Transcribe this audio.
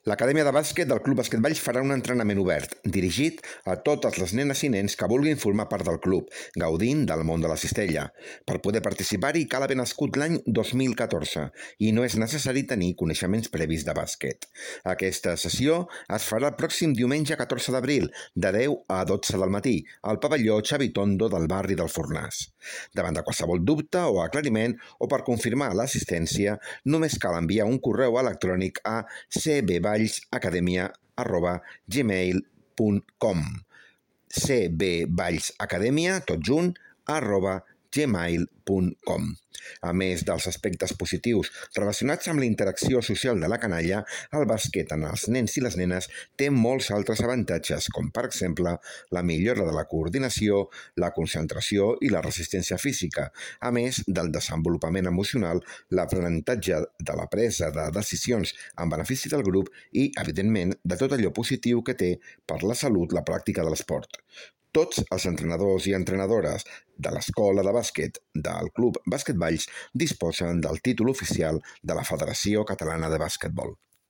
L'Acadèmia de Bàsquet del Club Bàsquet Valls farà un entrenament obert, dirigit a totes les nenes i nens que vulguin formar part del club, gaudint del món de la cistella. Per poder participar-hi cal haver nascut l'any 2014 i no és necessari tenir coneixements previs de bàsquet. Aquesta sessió es farà el pròxim diumenge 14 d'abril, de 10 a 12 del matí, al pavelló Xavi Tondo del barri del Fornàs. Davant de qualsevol dubte o aclariment o per confirmar l'assistència, només cal enviar un correu electrònic a cbvallsacademia@gmail.com cbvallsacademia, tot junt, @gmail.com. A més dels aspectes positius relacionats amb la interacció social de la canalla, el bàsquet en els nens i les nenes té molts altres avantatges, com per exemple la millora de la coordinació, la concentració i la resistència física, a més del desenvolupament emocional, l'aprenentatge de la presa de decisions en benefici del grup i, evidentment, de tot allò positiu que té per la salut la pràctica de l'esport. Tots els entrenadors i entrenadores de l'escola de bàsquet del Club Bàsquet Valls disposen del títol oficial de la Federació Catalana de Bàsquetbol.